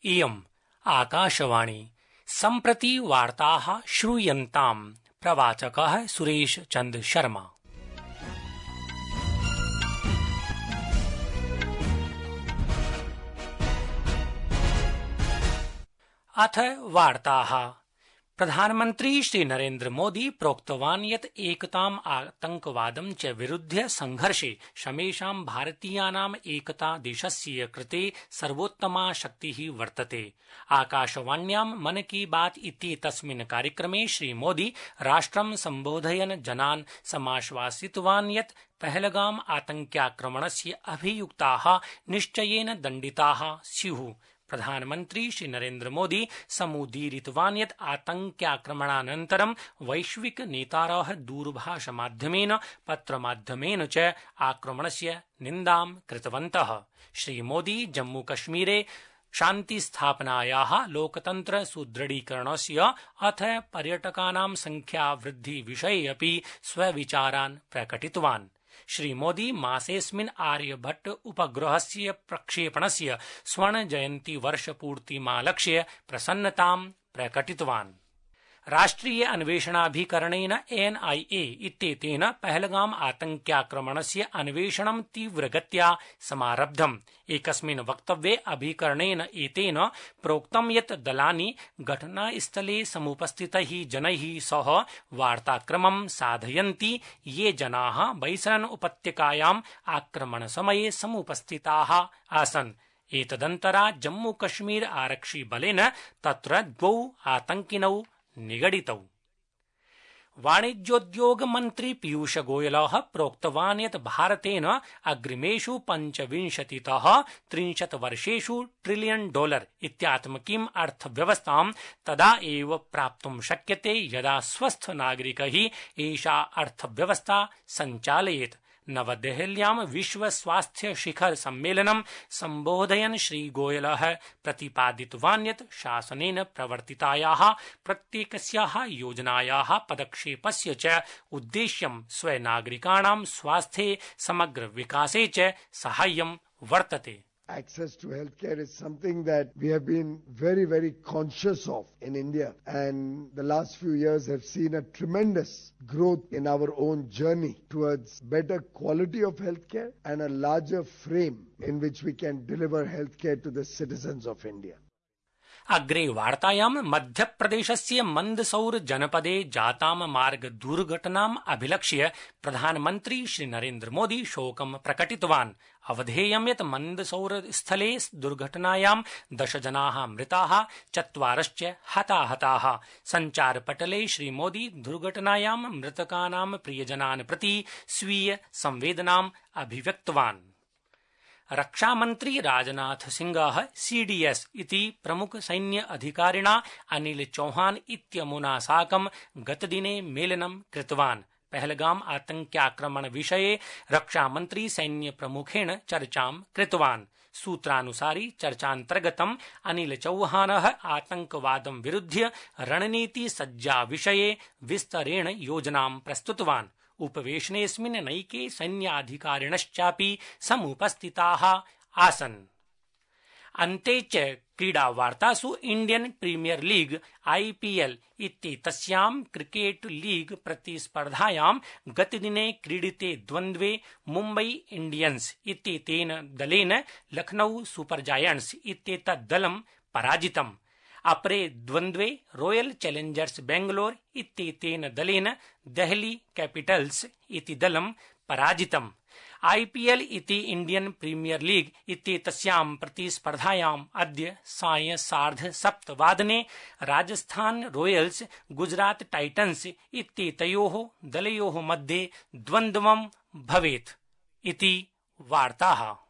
इयम् आकाशवाणी सम्प्रति वार्ताः श्रूयन्ताम्। प्रवाचकः सुरेश चन्द्र शर्मा। अथ वार्ताः। प्रधानमन्त्री श्री नरेन्द्र मोदी प्रोक्तवान् यत् एकताम् आतंकवादं च विरुध्य संघर्षे समेषां भारतीयानाम् एकता देशस्य कृते सर्वोत्तमा शक्तिः वर्तते। आकाशवाण्यां मन की बात इत्येतस्मिन् कार्यक्रमे श्री मोदी राष्ट्रं सम्बोधयन् जनान् समाश्वासितवान् यत् पहलगाम आतंक्याक्रमणस्य अभियुक्ताः निश्चयेन दण्डिताः स्युः। प्रधानमन्त्री श्री नरेन्द्र मोदी समुदीरितवान् यत् आतंक्याक्रमणानन्तरं वैश्विक नेतारः दूरभाषमाध्यमेन पत्रमाध्यमेन च आक्रमणस्य निन्दां कृतवन्तः। श्री मोदी जम्मूकश्मीरे शान्तिस्थापनायाः लोकतन्त्र सुदृढीकरणस्य अथ पर्यटकानां संख्यावृद्धि विषये अपि स्वविचारान् प्रकटितवान्। श्री मोदी मासेऽस्मिन् आर्यभट्ट उपग्रहस्य प्रक्षेपणस्य स्वर्णजयन्ती वर्षपूर्तिमालक्ष्य प्रसन्नतां प्रकटितवान्। राष्ट्रिय अन्वेषणाभिकरणेन NIA इत्येतेन पहलगाम आतंक्याक्रमणस्य अन्वेषणं तीव्रगत्या समारब्धम्। एकस्मिन् वक्तव्ये अभिकरणेन एतेन प्रोक्तं यत् दलानि घटनास्थले समुपस्थितैः जनैः सह वार्ताक्रमं साधयन्ति ये जनाः बैसरन उपत्यकायाम् आक्रमणसमये समुपस्थिताः आसन्। एतदन्तरा जम्मूकश्मीर आरक्षिबलेन तत्र 2 आतङ्किनौ निगडितौ। वाणिज्योद्योग मन्त्री पीयूष गोयलः प्रोक्तवान् यत् भारतेन अग्रिमेषु 25तः 30 वर्षेषु $1 ट्रिलियन इत्यात्मकीम् अर्थव्यवस्थां तदा एव प्राप्तुं शक्यते यदा स्वस्थ नागरिकैः एषा अर्थव्यवस्था सञ्चालयेत्। नवदेहल्यां विश्व स्वास्थ्य शिखर सम्मेलनं सम्बोधयन् श्री गोयलः प्रतिपादितवान् यत् शासनेन प्रवर्तितायाः प्रत्येकस्याः योजनायाः पदक्षेपस्य च उद्देश्यं स्वनागरिकाणां स्वास्थ्ये समग्र विकासे च साहाय्यं वर्तते। Access to healthcare is something that we have been very, very conscious of in India, and the last few years have seen a tremendous growth in our own journey towards better quality of healthcare and a larger frame in which we can deliver healthcare to the citizens of India. अग्रे वार्तायां मध्यप्रदेशस्य मंदसौर जनपदे जातां मार्ग दुर्घटनाम् अभिलक्ष्य प्रधानमन्त्री श्री नरेन्द्र मोदी शोकं प्रकटितवान्। अवधेयं यत् मंदसौर स्थले दुर्घटनायां 10 जनाः मृताः 4 हताहताः। सञ्चारपटले श्री मोदी दुर्घटनायां मृतकानां प्रियजनान् प्रति स्वीय संवेदनाम् अभिव्यक्तवान्। रक्षामन्त्री राजनाथ सिंहः CDS इति प्रमुख सैन्य अधिकारिणा अनिल चौहान इत्यमुना साकं गतदिने मेलनं कृतवान्। पहलगाम आतंक्याक्रमण विषये रक्षामन्त्री सैन्य प्रमुखेण चर्चां कृतवान्। सूत्रानुसारि चर्चान्तर्गतं अनिल चौहानः आतंकवादं विरुध्य रणनीति सज्जा विषये विस्तरेण योजनां प्रस्तुतवान्। उपवेशनेऽस्मिन् नैके सैन्याधिकारिणश्चापि समुपस्थिताः आसन्। अन्ते च क्रीडावार्तासु इण्डियन प्रीमियर लीग IPL इत्येतस्यां क्रिकेट लीग प्रतिस्पर्धायां गतदिने क्रीडिते द्वन्द्वे मुम्बई इण्डियन्स इत्येतेन दलेन लखनऊ सुपर जायंट्स इत्येतत् दलं पराजितम्। अपरे द्वन्द्वे रॉयल चैलेंजर्स बेंगलोर इत्येतेन दलेन देहली कैपिटल्स इति दलं पराजितम्। IPL इति इण्डियन प्रीमियर लीग इत्येतस्यां प्रतिस्पर्धायाम् अद्य सायं 7:30 राजस्थान रॉयल्स गुजरात टाइटन्स इत्येतयोः दलयोः मध्ये द्वन्द्वं भवेत् इति वार्ताः।